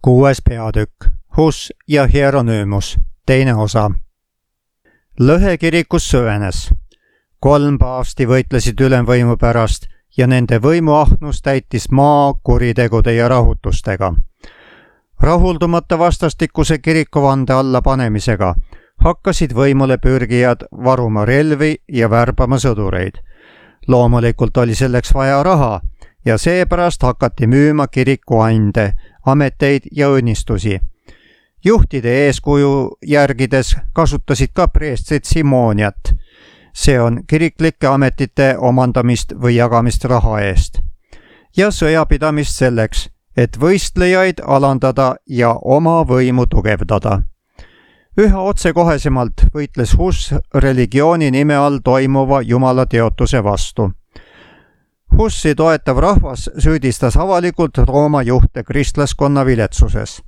6. peatükk, Hus ja Hieronüümus, teine osa. Lõhe kirikus süvenes. 3 paavsti võitlesid ülemvõimu pärast ja nende võimuahnus täitis maa kuritegude ja rahutustega. Rahuldumata vastastikuse kirikuvande alla panemisega hakkasid võimule pürgijad varuma relvi ja värbama sõdureid. Loomulikult oli selleks vaja raha ja seepärast hakati müüma kirikuande, ameteid ja õnnistusi. Juhtide eeskuju järgides kasutasid ka preestrid simooniat. See on kiriklike ametite omandamist või jagamist raha eest. Ja sõjapidamist selleks, et võistlejaid alandada ja oma võimu tugevdada. Üha otsekohesemalt võitles Hus religiooni nime all toimuva Jumala teotuse vastu. Hussi toetav rahvas süüdistas avalikult Rooma juhte kristlaskonna viletsuses.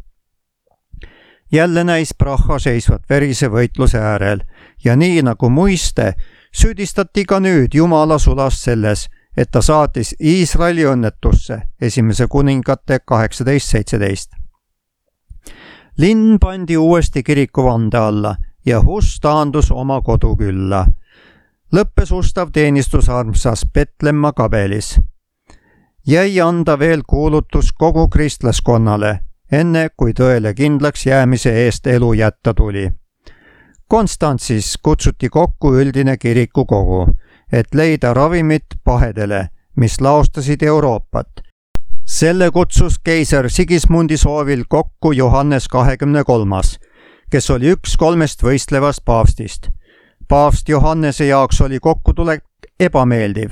Jälle näis Praha seisvat verise võitluse äärel ja nii nagu muiste süüdistati ka nüüd Jumala sulast selles, et ta saatis Iisraeli õnnetusse, 1. kuningate 18:17. Linn pandi uuesti kirikuvande alla ja Hus taandus oma kodukülla. Lõppes ustav teenistus armsas Petlemma kabelis. Jäi anda veel kuulutus kogu kristlaskonnale, enne kui tõele kindlaks jäämise eest elu jätta tuli. Konstantsis kutsuti kokku üldine kirikukogu, et leida ravimit pahedele, mis laostasid Euroopat. Selle kutsus keiser Sigismundi soovil kokku Johannes 23., kes oli üks 3 võistlevast paavstist. Paavst Johannese jaoks oli kokkutulek ebameeldiv,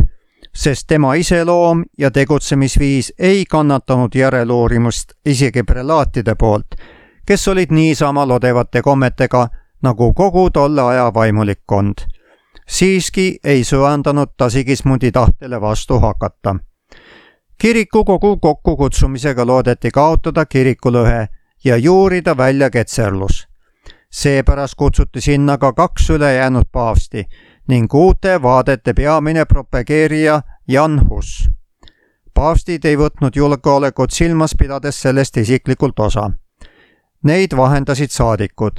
sest tema iseloom ja tegutsemisviis ei kannatanud järeloorimust isegi prelaatide poolt, kes olid niisama lodevate kommetega nagu kogu tolle aja vaimulikkond. Siiski ei söandanud ta Sigismundi tahtele vastu hakata. Kirikukogu kokkukutsumisega loodeti kaotada kirikulõhe ja juurida välja ketserlus. Seepärast kutsuti sinna ka 2 ülejäänud paavsti ning uute vaadete peamine propageerija Jan Hus. Paavstid ei võtnud julgeolekut silmas pidades sellest isiklikult osa. Neid vahendasid saadikud.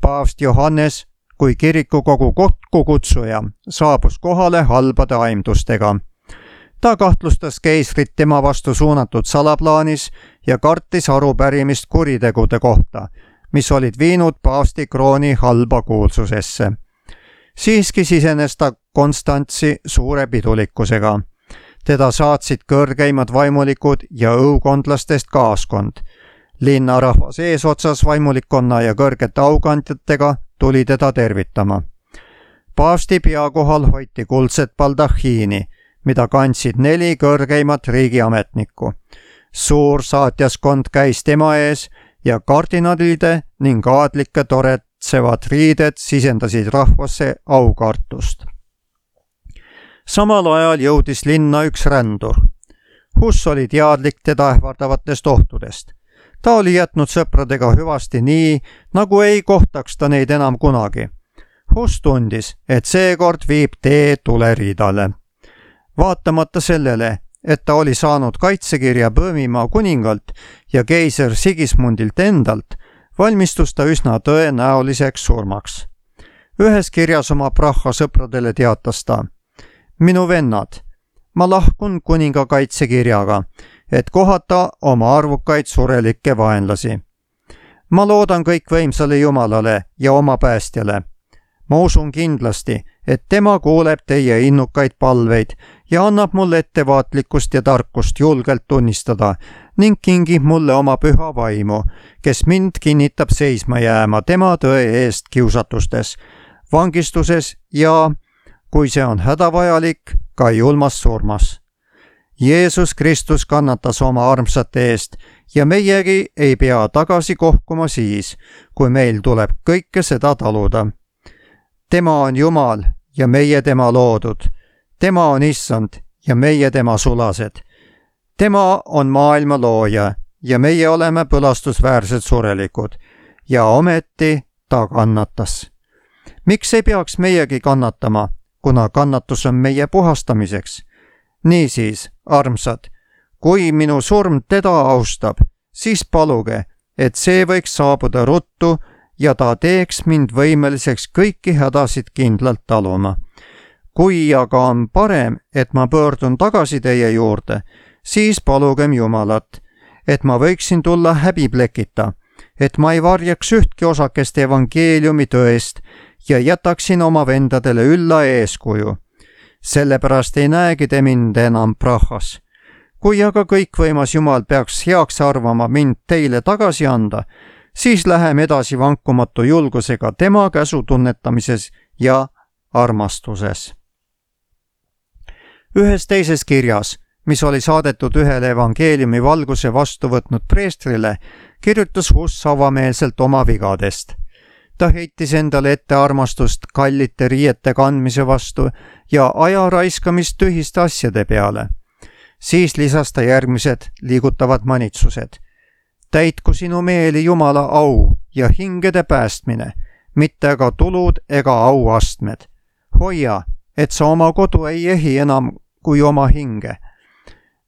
Paavst Johannes kui kirikukogu kokkukutsuja saabus kohale halbade aimdustega. Ta kahtlustas keisrit tema vastu suunatud salaplaanis ja kartis arupärimist kuritegude kohta, mis olid viinud paavsti krooni halba kuulsusesse. Siiski sisenes ta Konstantsi suure pidulikkusega. Teda saatsid kõrgeimad vaimulikud ja õukondlastest kaaskond. Linnarahvas eesotsas vaimulikkonna ja kõrgete aukandjatega tuli teda tervitama. Paavsti pea kohal hoiti kuldset baldahiini, mida kandsid 4 kõrgeimat riigiametnikku. Suur saatjaskond käis tema ees ja kardinalide ning aadlike toretsevad riided sisendasid rahvasse aukartust. Samal ajal jõudis linna üks rändur. Hus oli teadlik teda ähvardavatest ohtudest. Ta oli jätnud sõpradega hüvasti nii, nagu ei kohtaks ta neid enam kunagi. Hus tundis, et seekord viib tee tuleriidale. Vaatamata sellele, et ta oli saanud kaitsekirja Böömimaa kuningalt ja keiser Sigismundilt endalt, valmistus ta üsna tõenäoliseks surmaks. Ühes kirjas oma Praha sõpradele teatas ta: "Minu vennad, ma lahkun kuninga kaitsekirjaga, et kohata oma arvukaid surelikke vaenlasi. Ma loodan kõikvõimsale Jumalale ja oma päästjale. Ma usun kindlasti, et tema kuuleb teie innukaid palveid ja annab mulle ettevaatlikkust ja tarkust julgelt tunnistada ning kingib mulle oma püha vaimu, kes mind kinnitab seisma jääma tema tõe eest kiusatustes, vangistuses ja, kui see on hädavajalik, ka julmas surmas. Jeesus Kristus kannatas oma armsate eest ja meiegi ei pea tagasi kohkuma siis, kui meil tuleb kõike seda taluda. Tema on Jumal ja meie tema loodud. Tema on Issand ja meie tema sulased. Tema on maailma looja ja meie oleme põlastusväärsed surelikud ja ometi ta kannatas. Miks ei peaks meiegi kannatama, kuna kannatus on meie puhastamiseks? Niisiis, armsad, kui minu surm teda austab, siis paluge, et see võiks saabuda ruttu ja ta teeks mind võimeliseks kõiki hädasid kindlalt taluma. Kui aga on parem, et ma pöördun tagasi teie juurde, siis palugem Jumalat, et ma võiksin tulla häbiplekita, et ma ei varjaks ühtki osakest evangeeliumi tõest ja jätaksin oma vendadele ülla eeskuju. Sellepärast ei näegi te mind enam prahas. Kui aga kõikvõimas Jumal peaks heaks arvama mind teile tagasi anda, siis läheme edasi vankumatu julgusega tema käsu tunnetamises ja armastuses. Ühes teises kirjas, mis oli saadetud ühele evangeeliumi valguse vastu võtnud preestrile, kirjutas Huss avameelselt oma vigadest. Ta heitis endale ette armastust kallite riiete kandmise vastu ja aja raiskamist tühiste asjade peale. Siis lisas ta järgmised liigutavad manitsused. Täitku sinu meeli Jumala au ja hingede päästmine, mitte aga tulud ega auastmed. Hoia, et sa oma kodu ei ehi enam kui oma hinge.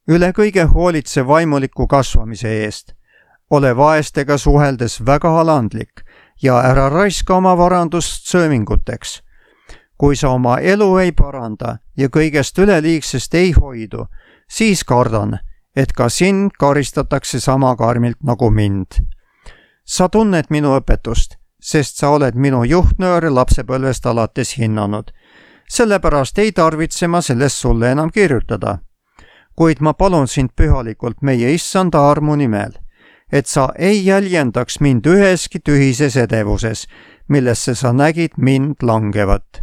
Üle kõige hoolitse vaimuliku kasvamise eest. Ole vaestega suheldes väga alandlik ja ära raiska oma varandust sööminguteks. Kui sa oma elu ei paranda ja kõigest üleliigsest ei hoidu, siis kardan, et ka sind karistatakse sama karmilt nagu mind. Sa tunned minu õpetust, sest sa oled minu juhtnööre lapsepõlvest alates hinnanud. Sellepärast ei tarvitse ma sellest sulle enam kirjutada. Kuid ma palun sind pühalikult meie issanda armu nimel, et sa ei jäljendaks mind üheski tühises edevuses, millesse sa nägid mind langevat.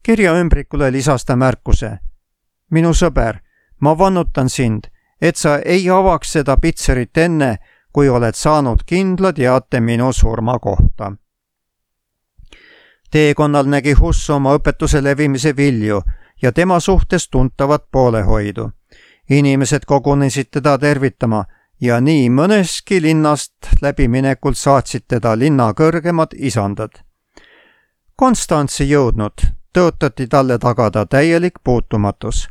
Kirja ümbrikule lisas ta märkuse. Minu sõber, ma vannutan sind, et sa ei avaks seda pitserit enne, kui oled saanud kindla teate minu surma kohta. Teekonnal nägi Huss oma õpetuse levimise vilju ja tema suhtes tuntavat poolehoidu. Inimesed kogunesid teda tervitama ja nii mõneski linnast läbiminekult saatsid teda linna kõrgemad isandad. Konstantsi jõudnud tõotati talle tagada täielik puutumatus.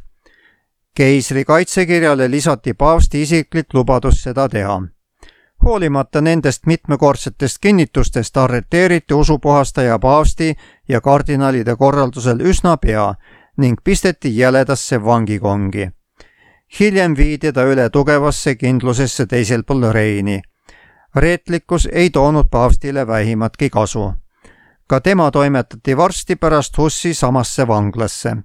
Keisri kaitsekirjale lisati paavsti isiklik lubadus seda teha. Hoolimata nendest mitmekordsetest kinnitustest arreteeriti usupuhastaja paavsti ja kardinalide korraldusel üsna pea ning pisteti jäledasse vangikongi. Hiljem viidi ta üle tugevasse kindlusesse teisel pool Reini. Reetlikkus ei toonud paavstile vähimatki kasu. Ka tema toimetati varsti pärast Hussi samasse vanglasse.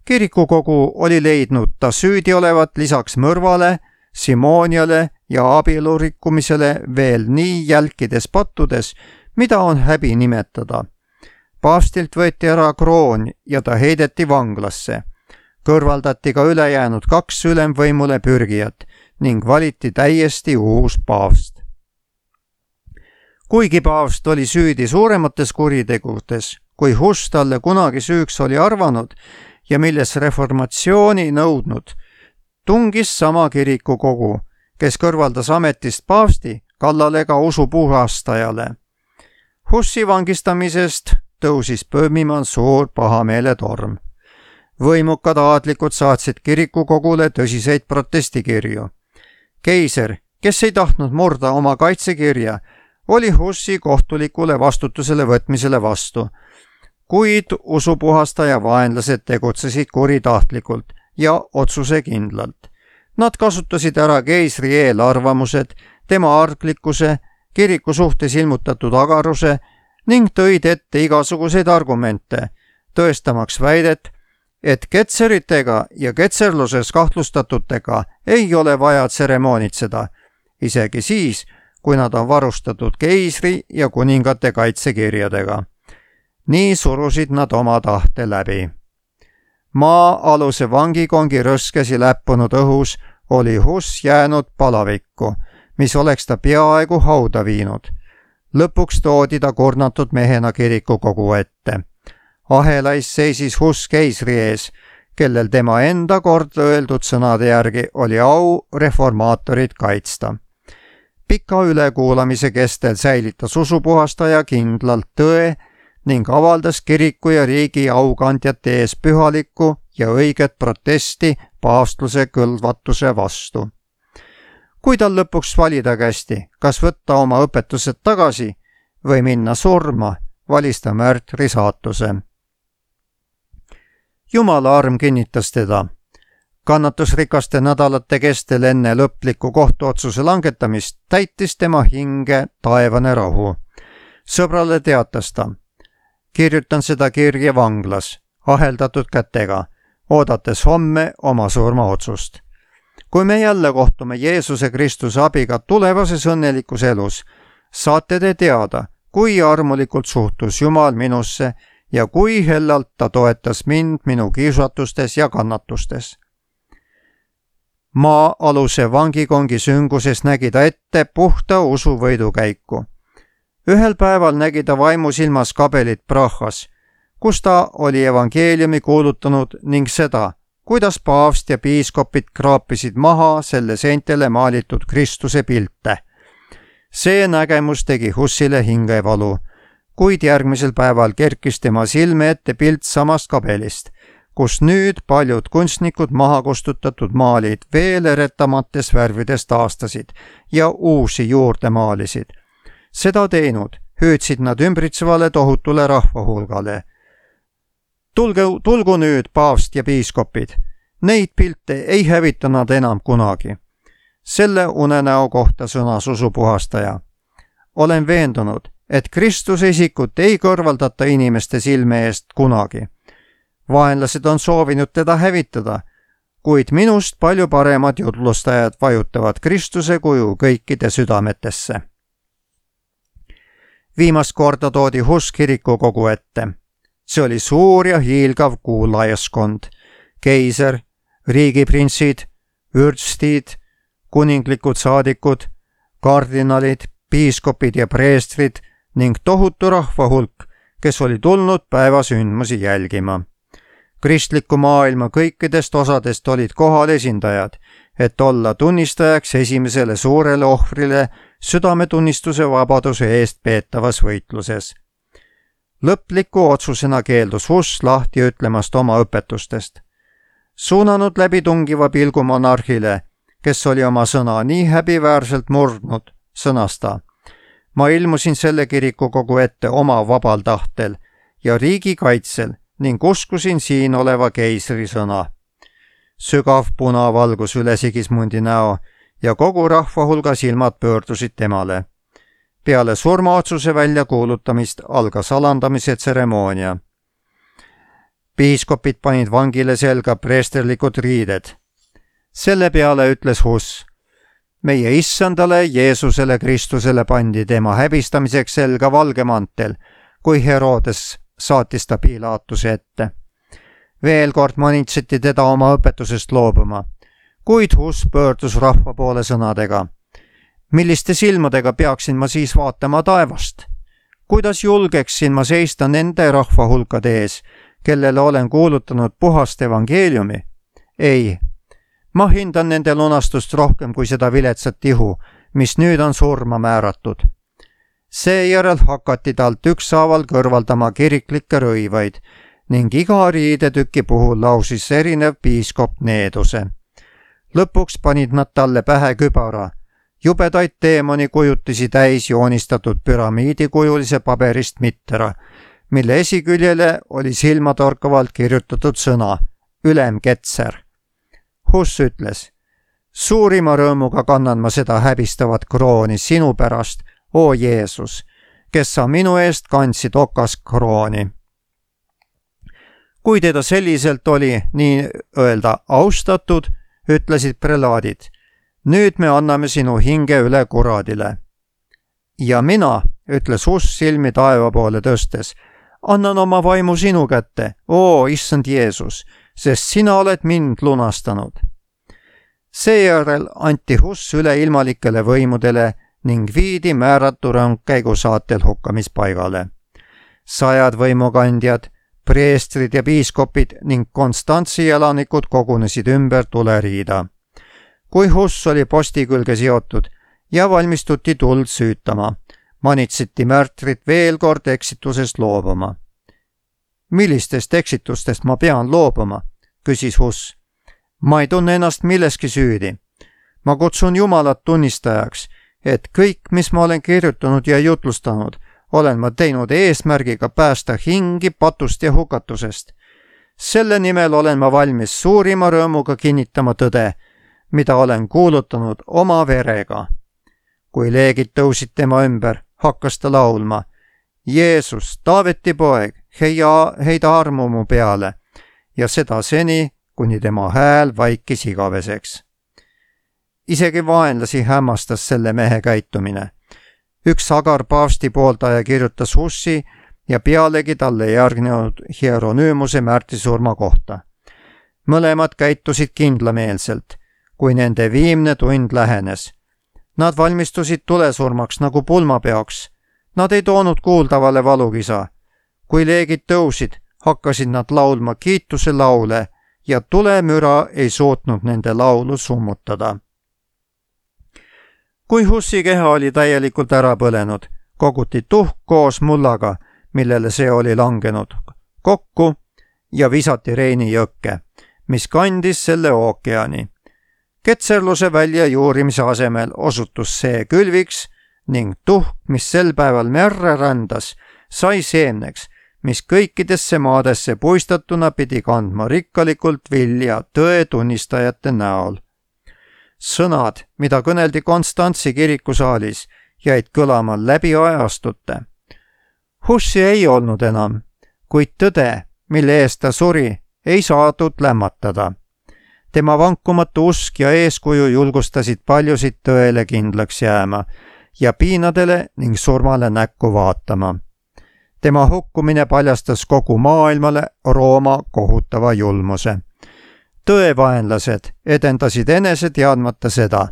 Kirikukogu oli leidnud ta süüdi olevat lisaks mõrvale, simooniale ja abielu rikkumisele veel nii jälkides pattudes, mida on häbi nimetada. Paavstilt võeti ära kroon ja ta heideti vanglasse. Kõrvaldati ka ülejäänud 2 ülemvõimule pürgijat ning valiti täiesti uus paavst. Kuigi paavst oli süüdi suuremates kuritegudest, kui Huss talle kunagi süüks oli arvanud ja milles reformatsiooni nõudnud, tungis sama kirikukogu, kes kõrvaldas ametist paavsti kallale ka usupuhastajale. Hussi vangistamisest tõusis põõmima suur pahameeletorm. Võimukad aadlikud saatsid kirikukogule tõsiseid protestikirju. Keiser, kes ei tahtnud murda oma kaitsekirja, oli Hussi kohtulikule vastutusele võtmisele vastu, kuid usupuhastaja vaenlased tegutsesid kuritahtlikult ja otsusekindlalt. Nad kasutasid ära keisri eelarvamused, tema arglikkuse, kiriku suhtes ilmutatud agaruse ning tõid ette igasuguseid argumente, tõestamaks väidet, et ketseritega ja ketserluses kahtlustatutega ei ole vaja tseremoonitseda, isegi siis, kui nad on varustatud keisri ja kuningate kaitsekirjadega. Nii surusid nad oma tahte läbi. Maa-aluse vangikongi rõskesi läppunud õhus oli Huss jäänud palavikku, mis oleks ta peaaegu hauda viinud. Lõpuks toodi ta kurnatud mehena kirikukogu ette. Ahelais seisis Huss keisri ees, kellel tema enda kord öeldud sõnade järgi oli au reformaatorid kaitsta. Pika ülekuulamise kestel säilitas usupuhastaja kindlalt tõe ning avaldas kiriku ja riigi aukandjate ees pühalikku ja õiget protesti paavstluse kõlvatuse vastu. Kui tal lõpuks valida kästi, kas võtta oma õpetused tagasi või minna surma, valis ta märtri saatuse. Jumala arm kinnitas teda. Kannatusrikaste nädalate kestel enne lõpliku kohtuotsuse langetamist täitis tema hinge taevane rahu. Sõbrale teatas ta: kirjutan seda kirja vanglas, aheldatud kätega, oodates homme oma surmaotsust. Kui me jälle kohtume Jeesuse Kristuse abiga tulevases õnnelikus elus, saate te teada, kui armulikult suhtus Jumal minusse ja kui hellalt ta toetas mind minu kiusatustes ja kannatustes. Maa-aluse vangikongi sünguses nägi ta ette puhta usu võidukäiku. Ühel päeval nägi ta vaimusilmas kabelit Prahas, kus ta oli evangeeliumi kuulutanud ning seda, kuidas paavst ja piiskopid kraapisid maha selle seintele maalitud Kristuse pilte. See nägemus tegi Hussile hingevalu, kuid järgmisel päeval kerkis tema silme ette pilt samast kabelist, kus nüüd paljud kunstnikud maha kustutatud maalid veel eretamates värvides taastasid ja uusi juurde maalisid. Seda teinud hüüdsid nad ümbritsevale tohutule rahvahulgale: tulgu nüüd paavst ja piiskopid, neid pilte ei hävita nad enam kunagi. Selle unenäo kohta sõnas usupuhastaja: olen veendunud, et Kristuse isikut ei kõrvaldata inimeste silme eest kunagi. Vaenlased on soovinud teda hävitada, kuid minust palju paremad jutlustajad vajutavad Kristuse kuju kõikide südametesse. Viimast korda toodi Huss kirikukogu ette. See oli suur ja hiilgav kuulajaskond: keiser, riigiprinsid, vürstid, kuninglikud saadikud, kardinalid, piiskopid ja preestrid ning tohutu rahvahulk, kes oli tulnud päevasündmusi jälgima. Kristliku maailma kõikidest osadest olid kohal esindajad, et olla tunnistajaks esimesele suurele ohvrile südametunnistuse vabaduse eest peetavas võitluses. Lõpliku otsusena keeldus Huss lahti ütlemast oma õpetustest. Suunanud läbitungiva pilgu monarhile, kes oli oma sõna nii häbiväärselt murdnud, sõnas ta: ma ilmusin selle kirikukogu ette oma vabal tahtel ja riigi kaitsel ning uskusin siin oleva keisri sõna. Sügav punavalgus üle Sigismundi näo ja kogu rahva hulga silmad pöördusid temale. Peale surmaotsuse väljakuulutamist algas alandamise tseremoonia. Piiskopid panid vangile selga preesterlikud riided. Selle peale ütles Huss: meie issandale Jeesusele Kristusele pandi tema häbistamiseks selga valge mantel, kui Herodes saatis ta Pilaatuse ette. Veel kord manitseti teda oma õpetusest loobuma, kuid Huss pöördus rahva poole sõnadega: milliste silmadega peaksin ma siis vaatama taevast? Kuidas julgeksin ma seista nende rahvahulkade ees, kellele olen kuulutanud puhast evangeeliumi? Ei, ma hindan nende lunastust rohkem kui seda viletsat ihu, mis nüüd on surma määratud. Seejärel hakati talt ükshaaval kõrvaldama kiriklikke rõivaid ning iga riidetüki puhul lausis erinev piiskop needuse. Lõpuks panid nad talle pähe kübara, jubedaid teemoni kujutisi täis joonistatud püramiidikujulise paberist mittera, mille esiküljele oli silmatorkavalt kirjutatud sõna ülemketser. Huss ütles: suurima rõõmuga kannan ma seda häbistavat krooni sinu pärast, o Jeesus, kes sa minu eest kandsid okaskrooni. Kui teda selliselt oli nii öelda austatud, ütlesid prelaadid: nüüd me anname sinu hinge üle kuradile. Ja mina, ütles Huss silmi taeva poole tõstes, annan oma vaimu sinu kätte, o issand Jeesus, sest sina oled mind lunastanud. Seejärel anti Huss üle ilmalikele võimudele ning viidi määratu rõngkäigu saatel hukkamispaigale. 100 võimukandjad, preestrid ja piiskopid ning Konstantsi elanikud kogunesid ümber tuleriida. Kui Huss oli posti külge seotud ja valmistuti tuld süütama, manitseti märtrit veel kord eksitusest loobuma. Millistest eksitustest ma pean loobuma, küsis Huss. Ma ei tunne ennast milleski süüdi. Ma kutsun Jumalat tunnistajaks, et kõik, mis ma olen kirjutanud ja jutlustanud, olen ma teinud eesmärgiga päästa hingi patust ja hukatusest. Selle nimel olen ma valmis suurima rõõmuga kinnitama tõde, mida olen kuulutanud oma verega. Kui leegid tõusid tema ümber, hakkas ta laulma: Jeesus, Taaveti poeg, heida armu mu peale, ja seda seni, kuni tema hääl vaikis igaveseks. Isegi vaenlasi hämmastas selle mehe käitumine. Üks Agar paavsti pooldaja kirjutas Hussi ja pealegi talle järgnenud Hieronymuse märtrisurma kohta. Mõlemad käitusid kindlameelselt, kui nende viimne tund lähenes. Nad valmistusid tulesurmaks nagu pulmapeoks. Nad ei toonud kuuldavale valukisa. Kui leegid tõusid, hakkasid nad laulma kiituse laule ja tulemüra ei suutnud nende laulu summutada. Kui Hussi keha oli täielikult ära põlenud, koguti tuhk koos mullaga, millele see oli langenud, kokku ja visati Reini jõkke, mis kandis selle ookeani. Ketserluse väljajuurimise asemel osutus see külviks ning tuhk, mis sel päeval merre rändas, sai seemneks, mis kõikidesse maadesse puistatuna pidi kandma rikkalikult vilja tõe tunnistajate näol. Sõnad, mida kõneldi Konstantsi kirikusaalis, jäid kõlama läbi ajastute. Hussi ei olnud enam, kuid tõde, mille eest ta suri, ei saadud lämmatada. Tema vankumatu usk ja eeskuju julgustasid paljusid tõele kindlaks jääma ja piinadele ning surmale näkku vaatama. Tema hukkumine paljastas kogu maailmale Rooma kohutava julmuse. Tõevaenlased edendasid enese teadmata seda,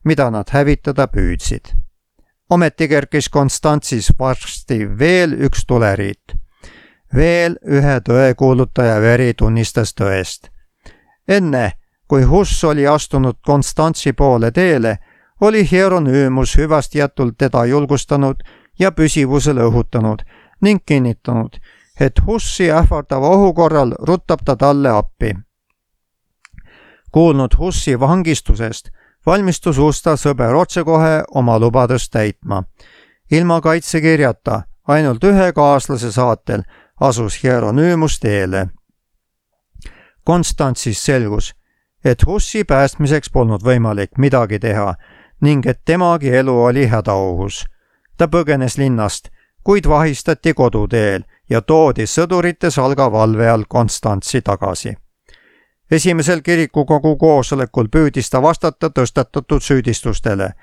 mida nad hävitada püüdsid. Ometi kerkis Konstantsis varsti veel üks tuleriit. Veel ühe tõekuulutaja veri tunnistas tõest. Enne, kui Huss oli astunud Konstantsi poole teele, oli Hieronymus hüvastijätult teda julgustanud ja püsivusele õhutanud ning kinnitanud, et Hussi ähvardava ohu korral rutab ta talle appi. Kuulnud Hussi vangistusest, valmistus Usta sõber otsekohe oma lubadust täitma. Ilma kaitsekirjata, ainult ühe kaaslase saatel, asus Hieronymus teele. Konstantsis selgus, et Hussi päästmiseks polnud võimalik midagi teha ning et temagi elu oli hädaohus. Ta põgenes linnast, kuid vahistati koduteel ja toodi sõdurite salga valve all Konstantsi tagasi. Esimesel kirikukogu koosolekul püüdis ta vastata tõstatatud süüdistustele,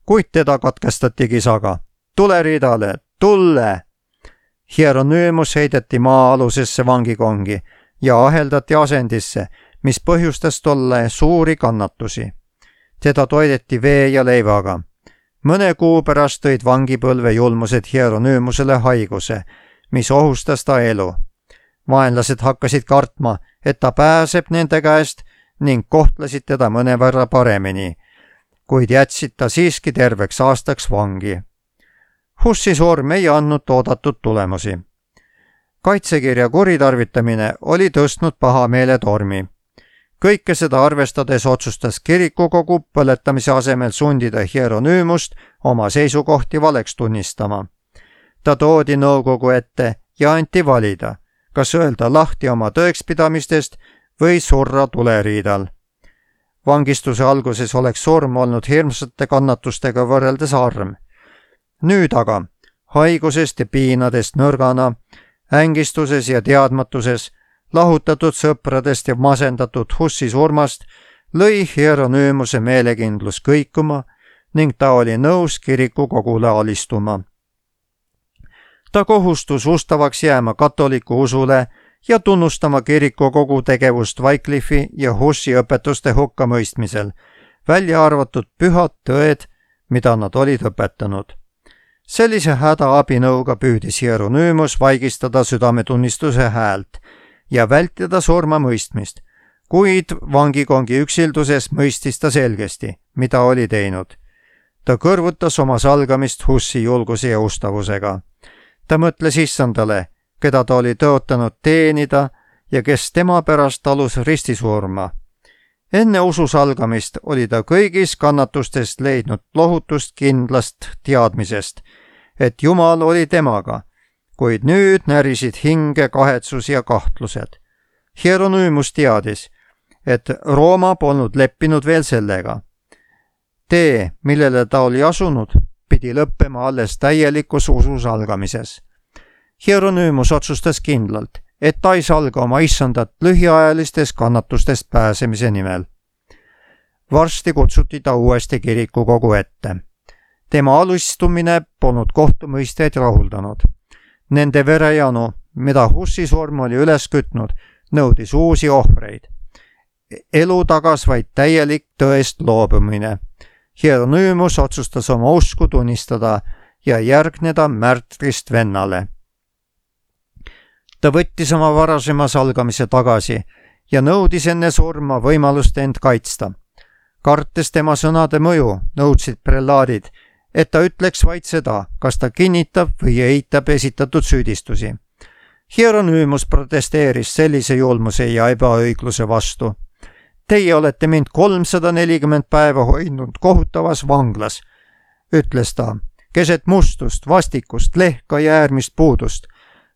kuid teda katkestati kisaga. Tule riidale, tulle! Hieronymus heideti maa-alusesse vangikongi ja aheldati asendisse, mis põhjustas tolle suuri kannatusi. Teda toideti vee ja leivaga. Mõne kuu pärast tõid vangipõlve julmused Hieronymusele haiguse, mis ohustas ta elu. Vaenlased hakkasid kartma, et ta pääseb nende käest ning kohtlesid teda mõnevõrra paremini, kuid jätsid ta siiski terveks aastaks vangi. Hussi surm ei andnud oodatud tulemusi. Kaitsekirja kuritarvitamine oli tõstnud pahameele tormi. Kõike seda arvestades otsustas kirikukogu põletamise asemel sundida Hieronymust oma seisukohti valeks tunnistama. Ta toodi nõukogu ette ja anti valida, kas öelda lahti oma tõekspidamistest või surra tuleriidal. Vangistuse alguses oleks surm olnud hirmsate kannatustega võrreldes harm. Nüüd aga, haigusest ja piinadest nõrgana, ängistuses ja teadmatuses, lahutatud sõpradest ja masendatud Hussi surmast, lõi Hieronymuse meelekindlus kõikuma ning ta oli nõus kirikukogule alistuma. Ta kohustus ustavaks jääma katoliku usule ja tunnustama kirikukogu tegevust Wycliffi ja Hussi õpetuste hukkamõistmisel, välja arvatud pühad tõed, mida nad olid õpetanud. Sellise hädaabinõuga püüdis Hieronymus vaigistada südametunnistuse häält ja vältida surmamõistmist, kuid vangikongi üksilduses mõistis ta selgesti, mida oli teinud. Ta kõrvutas oma salgamist Hussi julguse ja ustavusega. Ta mõtles issandale, keda ta oli tõotanud teenida ja kes tema pärast talus ristisurma. Enne usu salgamist oli ta kõigis kannatustest leidnud lohutust kindlast teadmisest, et Jumal oli temaga, kuid nüüd närisid hinge kahetsus ja kahtlused. Hieronüümus teadis, et Rooma polnud leppinud veel sellega. Tee, millele ta oli asunud, pidi lõppema alles täielikus usu salgamises. Hieronüümus otsustas kindlalt, et ta ei salga oma issandat lühiajalistest kannatustest pääsemise nimel. Varsti kutsuti ta uuesti kirikukogu ette. Tema alistumine polnud kohtumõistjaid rahuldanud. Nende verejanu, mida Hussi surm oli üles kütnud, nõudis uusi ohvreid. Elu tagas vaid täielik tõest loobumine. Hieronüümus otsustas oma usku tunnistada ja järgneda märtrist vennale. Ta võttis oma varasema salgamise tagasi ja nõudis enne surma võimalust end kaitsta. Kartes tema sõnade mõju, nõudsid prelaadid, et ta ütleks vaid seda, kas ta kinnitab või eitab esitatud süüdistusi. Hieronüümus protesteeris sellise julmuse ja ebaõigluse vastu. Teie olete mind 340 päeva hoidnud kohutavas vanglas, ütles ta, keset mustust, vastikust, lehka ja äärmist puudust.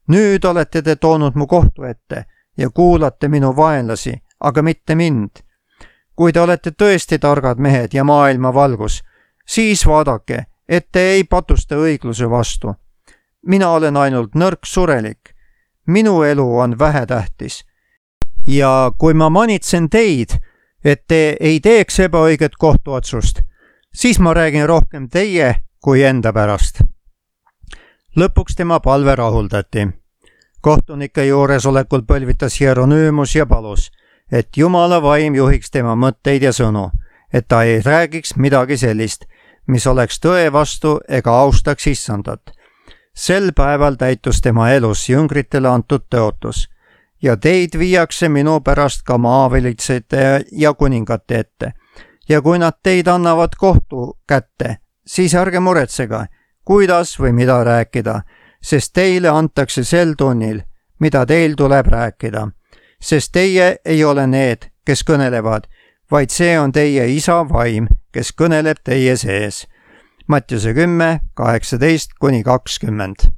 Nüüd olete te toonud mu kohtu ette ja kuulate minu vaenlasi, aga mitte mind. Kui te olete tõesti targad mehed ja maailma valgus, siis vaadake, et te ei patusta õigluse vastu. Mina olen ainult nõrk surelik. Minu elu on vähetähtis. Ja kui ma manitsen teid, et te ei teeks ebaõiget kohtuotsust, siis ma räägin rohkem teie kui enda pärast. Lõpuks tema palve rahuldati. Kohtunike juuresolekul põlvitas Hieronüümus ja palus, et Jumala vaim juhiks tema mõtteid ja sõnu, et ta ei räägiks midagi sellist, mis oleks tõe vastu ega austaks issandat. Sel päeval täitus tema elus jüngritele antud tõotus ja teid viiakse minu pärast ka maavalitsejate ja kuningate ette. Ja kui nad teid annavad kohtu kätte, siis ärge muretsege, kuidas või mida rääkida, sest teile antakse sel tunnil, mida teil tuleb rääkida. Sest teie ei ole need, kes kõnelevad, vaid see on teie isa vaim, kes kõneleb teie sees. Mattiuse 10, 18-20